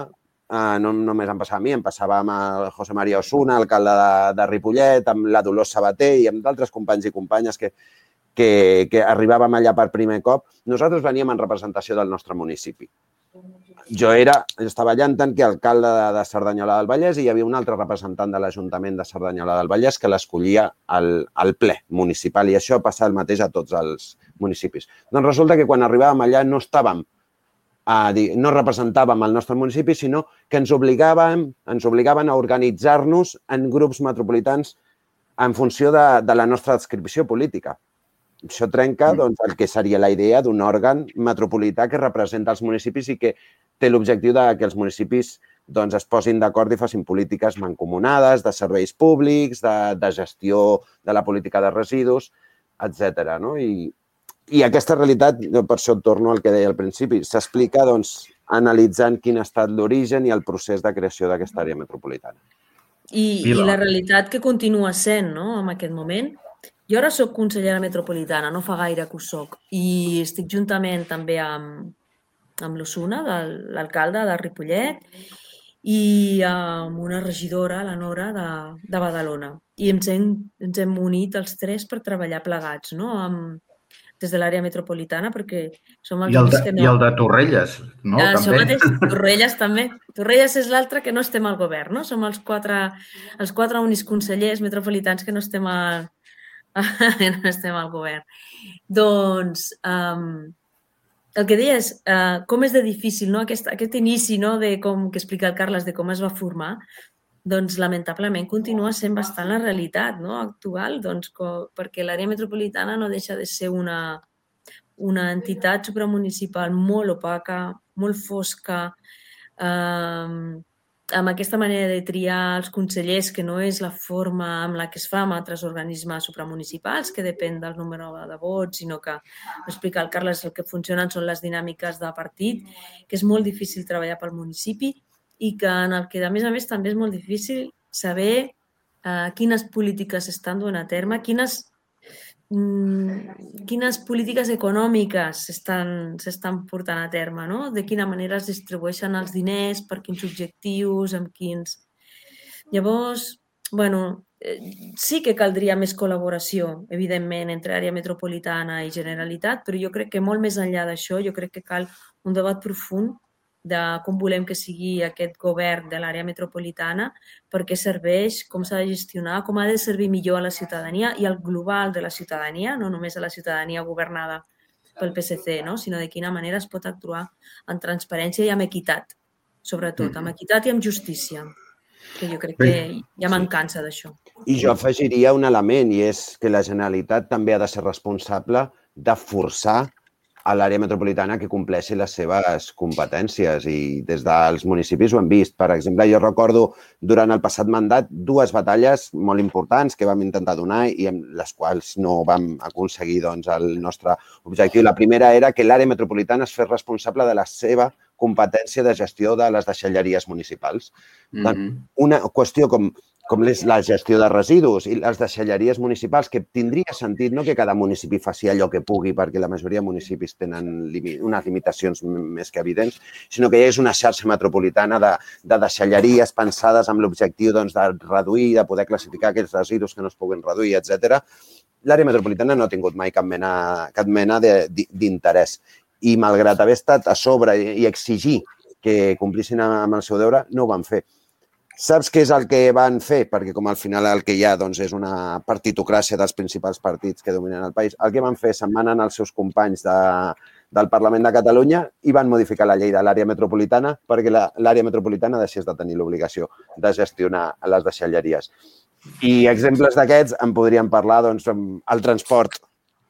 eh, no només em passava a mi, em passava amb el José María Osuna, alcalde de, de Ripollet, amb la Dolors Sabater i amb d'altres companys i companyes que, que, que arribàvem allà per primer cop. Nosaltres veníem en representació del nostre municipi. Jo era, estava allà en tant que alcalde de, de Cerdanyola del Vallès i hi havia un altre representant de l'Ajuntament de Cerdanyola del Vallès que l'escollia al, al ple municipal i això passa el mateix a tots els municipis. Doncs resulta que quan arribàvem allà no estàvem, a dir, no representàvem el nostre municipi, sinó que ens obligàvem, ens obligaven a organitzar-nos en grups metropolitans en funció de, de la nostra adscripció política. Això trenca doncs, el que seria la idea d'un òrgan metropolità que representa els municipis i que té l'objectiu de que els municipis doncs, es posin d'acord i facin polítiques mancomunades, de serveis públics, de, de gestió de la política de residus, etcètera. No? I, I aquesta realitat, per això torno al que deia al principi, s'explica doncs, analitzant quin ha estat l'origen i el procés de creació d'aquesta àrea metropolitana. I, I la realitat que continua sent, no?, en aquest moment. Jo ara soc consellera metropolitana, no fa gaire que ho soc, i estic juntament també amb, amb l'Osuna, l'alcalde de Ripollet, i amb una regidora, la Nora, de, de Badalona. I ens hem, ens hem unit els tres per treballar plegats, no?, amb, des de l'àrea metropolitana, perquè som els únics que no... I el de Torrelles, no? Ja, també. Mateix, Torrelles també. Torrelles és l'altre que no estem al govern, no? Som els quatre, els quatre únics consellers metropolitans que no estem al, no estem al govern. Doncs um, el que deia és uh, com és de difícil, no? aquest, aquest inici, no? De com que explica el Carles de com es va formar. doncs lamentablement continua sent bastant la realitat, no? Actual, doncs, co- perquè l'àrea metropolitana no deixa de ser una, una entitat supramunicipal molt opaca, molt fosca, eh, amb aquesta manera de triar els consellers, que no és la forma amb la que es fa amb altres organismes supramunicipals, que depèn del número de vots, sinó que, ho explica el Carles, el que funcionen són les dinàmiques de partit, que és molt difícil treballar pel municipi i que en el que, a més a més, també és molt difícil saber eh, quines polítiques s'estan duent a terme, quines quines polítiques econòmiques s'estan portant a terme, no? De quina manera es distribueixen els diners, per quins objectius, amb quins... Llavors, bueno, sí que caldria més col·laboració, evidentment, entre àrea metropolitana i Generalitat, però jo crec que molt més enllà d'això, jo crec que cal un debat profund de com volem que sigui aquest govern de l'àrea metropolitana, per què serveix, com s'ha de gestionar, com ha de servir millor a la ciutadania i al global de la ciutadania, no només a la ciutadania governada pel P S C, no? Sinó de quina manera es pot actuar amb transparència i amb equitat, sobretot, amb equitat i amb justícia, que jo crec que hi ha mancança d'això. I jo afegiria un element, i és que la Generalitat també ha de ser responsable de forçar a l'àrea metropolitana que compleixi les seves competències i des dels municipis ho hem vist. Per exemple, jo recordo durant el passat mandat dues batalles molt importants que vam intentar donar i amb les quals no vam aconseguir doncs, el nostre objectiu. La primera era que l'àrea metropolitana es fes responsable de la seva competència de gestió de les deixalleries municipals. Mm-hmm. Una qüestió com com és la gestió de residus i les deixalleries municipals, que tindria sentit no que cada municipi faci allò que pugui, perquè la majoria de municipis tenen unes limitacions més que evidents, sinó que hi és una xarxa metropolitana de, de deixalleries pensades amb l'objectiu doncs, de reduir, de poder classificar aquells residus que no es puguin reduir, etcètera. L'àrea metropolitana no ha tingut mai cap mena, cap mena d'interès. I malgrat haver estat a sobre i exigir que complissin amb el seu deure, no ho van fer. Saps què és el que van fer? Perquè com al final el que hi ha doncs, és una partitocràcia dels principals partits que dominen el país. El que van fer, se'n van anar els seus companys de, del Parlament de Catalunya i van modificar la llei de l'àrea metropolitana perquè l'àrea metropolitana deixés de tenir l'obligació de gestionar les deixalleries. I exemples d'aquests en podríem parlar, doncs, el transport,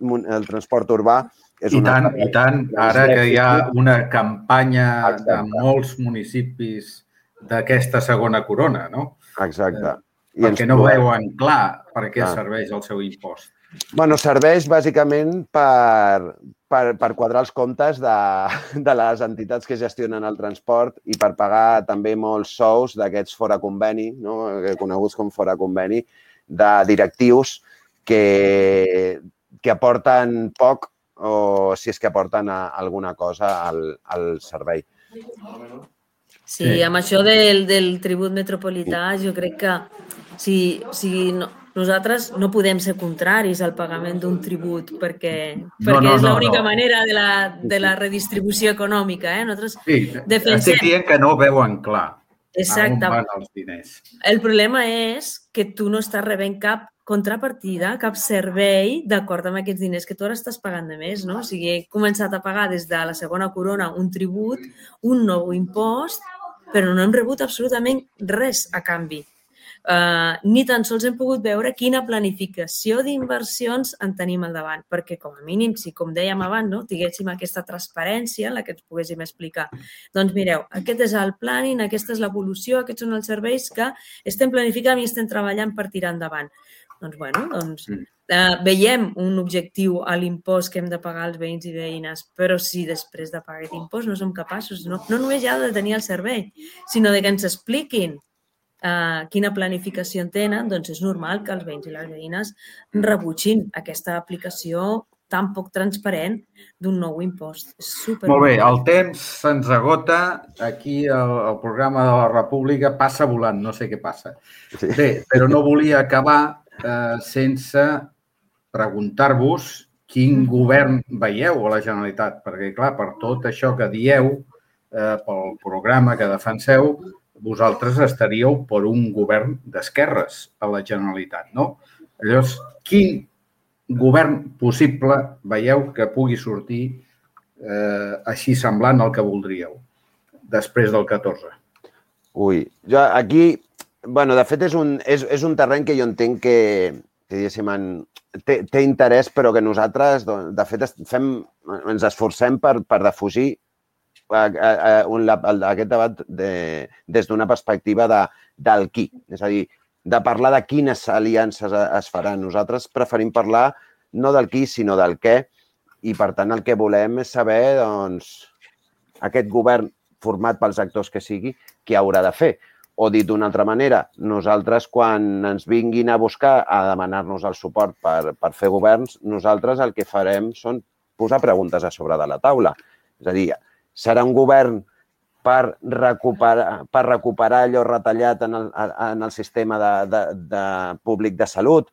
el transport urbà. És I tant, i tant. Ara que hi ha una campanya de molts municipis d'aquesta segona corona, no? Exacte. I perquè no veuen clar per què serveix el seu impost. Bueno, serveix bàsicament per, per, per quadrar els comptes de, de les entitats que gestionen el transport i per pagar també molts sous d'aquests fora conveni, no? Coneguts com fora conveni, de directius que, que aporten poc o si és que aporten alguna cosa al, al servei. Sí, sí, amb això del, del tribut metropolità jo crec que si, si no, nosaltres no podem ser contraris al pagament d'un tribut perquè, perquè no, no, és l'única no, no. manera de la, de la redistribució econòmica. Eh? Nosaltres sí, defensem... estic dient que no ho veuen clar. Exacte. A on van els diners. El problema és que tu no estàs rebent cap contrapartida, cap servei d'acord amb aquests diners que tu ara estàs pagant de més, no? O sigui, he començat a pagar des de la segona corona un tribut, un nou impost, però no hem rebut absolutament res a canvi. Uh, ni tan sols hem pogut veure quina planificació d'inversions en tenim al davant, perquè com a mínim, si com dèiem abans, no, tinguéssim aquesta transparència en la que ens poguéssim explicar. Doncs mireu, aquest és el planning, aquesta és l'evolució, aquests són els serveis que estem planificant i estem treballant per tirar endavant. Doncs, bueno, doncs uh, veiem un objectiu a l'impost que hem de pagar als veïns i veïnes, però si després de pagar aquest impost no som capaços, no, no només ja de tenir el servei, sinó de que ens expliquin Uh, quina planificació en tenen, doncs és normal que els veïns i les veïnes rebutgin aquesta aplicació tan poc transparent d'un nou impost. És super... Molt bé, el temps se'ns agota. Aquí el, el programa de la República passa volant, no sé què passa. Sí. Bé, però no volia acabar eh, sense preguntar-vos quin govern veieu a la Generalitat, perquè, clar, per tot això que dieu, eh, pel programa que defenseu, vosaltres estaríeu per un govern d'esquerres a la Generalitat, no? Llavors, quin govern possible veieu que pugui sortir eh, així semblant al que voldríeu després del catorze? Ui, jo aquí bueno, de fet, és un, és, és un terreny que jo entenc que, que diguéssim, en, té, té interès, però que nosaltres, de fet, fem, ens esforcem per, per defugir a, a, a, un, a, aquest debat de, des d'una perspectiva de, del qui. És a dir, de parlar de quines aliances es faran. Nosaltres preferim parlar no del qui, sinó del què, i, per tant, el que volem és saber, doncs, aquest govern format pels actors que sigui, què haurà de fer. O dit d'una altra manera, nosaltres quan ens vinguin a buscar a demanar-nos el suport per, per fer governs, nosaltres el que farem són posar preguntes a sobre de la taula. És a dir, serà un govern per recuperar, per recuperar allò retallat en el, en el sistema de, de, de públic de salut,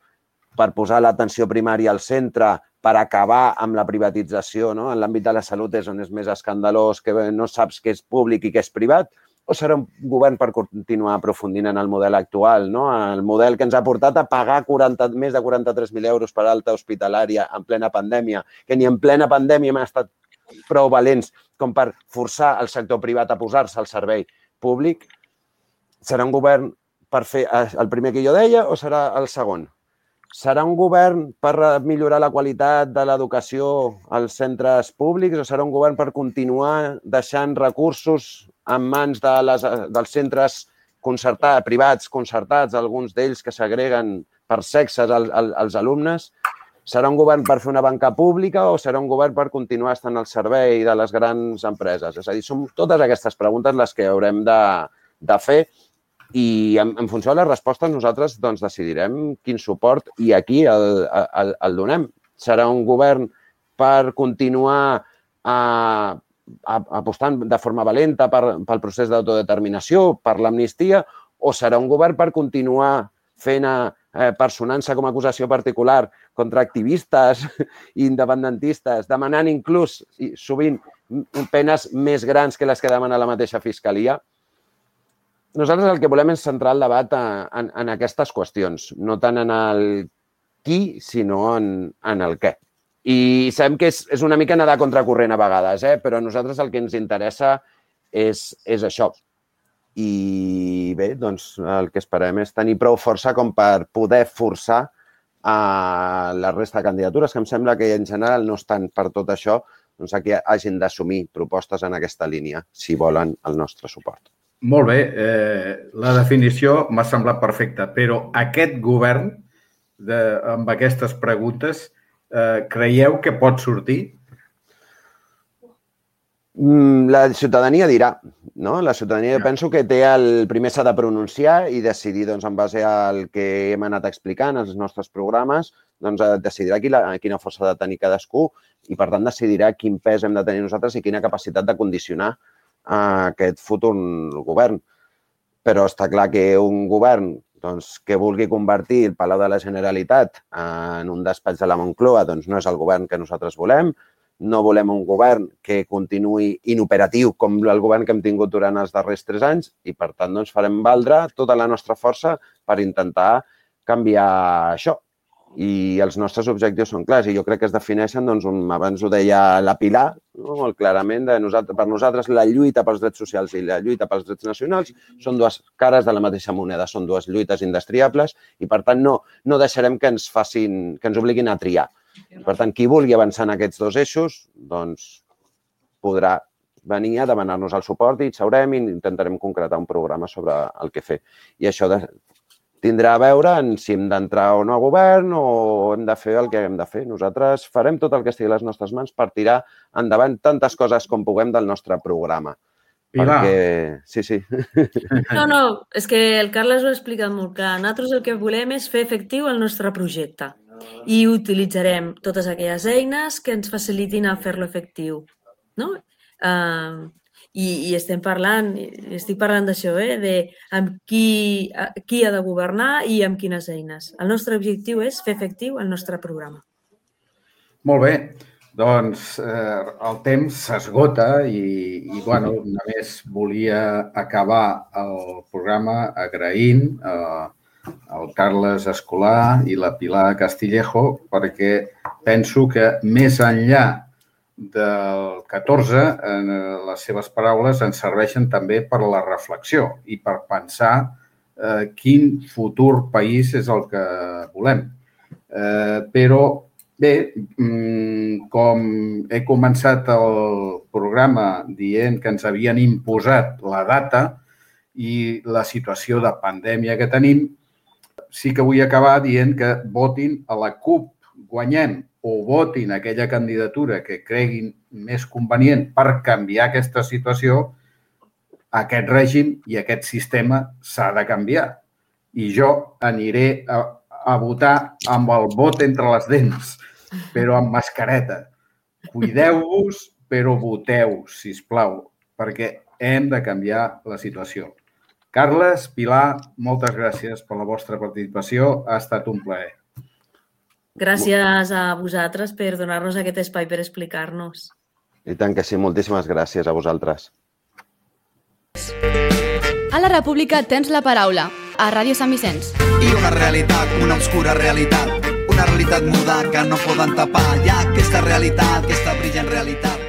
per posar l'atenció primària al centre, per acabar amb la privatització, no? En l'àmbit de la salut és on és més escandalós, que no saps què és públic i què és privat, o serà un govern per continuar aprofundint en el model actual, no? El model que ens ha portat a pagar quaranta, més de quaranta-tres mil euros per alta hospitalària en plena pandèmia, que ni en plena pandèmia hem estat prou valents com per forçar el sector privat a posar-se al servei públic. Serà un govern per fer el primer que jo deia o serà el segon? Serà un govern per millorar la qualitat de l'educació als centres públics o serà un govern per continuar deixant recursos en mans de les, dels centres concertats, privats concertats, alguns d'ells que segreguen per sexes als, als alumnes? Serà un govern per fer una banca pública o serà un govern per continuar estant al servei de les grans empreses? És a dir, són totes aquestes preguntes les que haurem de, de fer i en, en funció de les respostes nosaltres doncs, decidirem quin suport i a qui el, el, el donem. Serà un govern per continuar a, a, apostant de forma valenta per, pel procés d'autodeterminació, per l'amnistia, o serà un govern per continuar fent eh, personant-se com a acusació particular contra activistes i independentistes, demanant inclús, i sovint, penes més grans que les que demana la mateixa Fiscalia? Nosaltres el que volem és centrar el debat en, en aquestes qüestions, no tant en el qui, sinó en, en el què. I sabem que és, és una mica nedar contracorrent a vegades, eh? Però a nosaltres el que ens interessa és, és això. I bé, doncs el que esperem és tenir prou força com per poder forçar a la resta de candidatures, que em sembla que en general no estan per tot això, doncs que hagin d'assumir propostes en aquesta línia, si volen el nostre suport. Molt bé, eh, la definició m'ha semblat perfecta, però aquest govern, de, amb aquestes preguntes, eh, creieu que pot sortir? La ciutadania dirà, no? La ciutadania ja. Penso que té el primer s'ha de pronunciar i decidir, doncs, en base al que hem anat explicant, als nostres programes, doncs decidirà quina, quina força ha de tenir cadascú i, per tant, decidirà quin pes hem de tenir nosaltres i quina capacitat de condicionar a aquest futur govern. Però està clar que un govern doncs, que vulgui convertir el Palau de la Generalitat en un despatx de la Moncloa doncs, no és el govern que nosaltres volem. No volem un govern que continuï inoperatiu com el govern que hem tingut durant els darrers tres anys i, per tant, doncs, farem valdre tota la nostra força per intentar canviar això. I els nostres objectius són clars i jo crec que es defineixen, doncs, un, abans ho deia la Pilar, no? Molt clarament, de nosaltres, per nosaltres la lluita pels drets socials i la lluita pels drets nacionals són dues cares de la mateixa moneda, són dues lluites indestriables i, per tant, no, no deixarem que ens facin, que ens obliguin a triar. Per tant, qui vulgui avançar en aquests dos eixos, doncs podrà venir a demanar-nos el suport i seurem i intentarem concretar un programa sobre el que fer. I això de, tindrà a veure en si hem d'entrar o no a govern o hem de fer el que hem de fer. Nosaltres farem tot el que estigui a les nostres mans per tirar endavant tantes coses com puguem del nostre programa. Pilar. Perquè... Sí, sí. No, no, és que el Carles ho ha explicat molt clar. Nosaltres el que volem és fer efectiu el nostre projecte i utilitzarem totes aquelles eines que ens facilitin a fer-lo efectiu. No? Uh, i, I estem parlant, estic parlant d'això, eh? De amb qui, qui ha de governar i amb quines eines. El nostre objectiu és fer efectiu el nostre programa. Molt bé. Doncs eh, el temps s'esgota i, i bueno, només volia acabar el programa agraint eh, el Carles Escolà i la Pilar Castillejo perquè penso que més enllà del catorze, eh, les seves paraules ens serveixen també per la reflexió i per pensar eh, quin futur país és el que volem. Eh, però, bé, com he començat el programa dient que ens havien imposat la data i la situació de pandèmia que tenim, sí que vull acabar dient que votin a la CUP, guanyem, o votin aquella candidatura que creguin més convenient per canviar aquesta situació, aquest règim i aquest sistema s'ha de canviar. I jo aniré a, a votar amb el vot entre les dents, però amb mascareta. Cuideu-vos, però voteu, sisplau, perquè hem de canviar la situació. Carles, Pilar, moltes gràcies per la vostra participació. Ha estat un plaer. Gràcies a vosaltres per donar-nos aquest espai per explicar-nos. I tant que sí, moltíssimes gràcies a vosaltres. A la República tens la paraula, a Ràdio Sant Vicenç. I una realitat, una obscura realitat, una realitat muda que no poden tapar. Hi ha aquesta realitat, aquesta brillant realitat.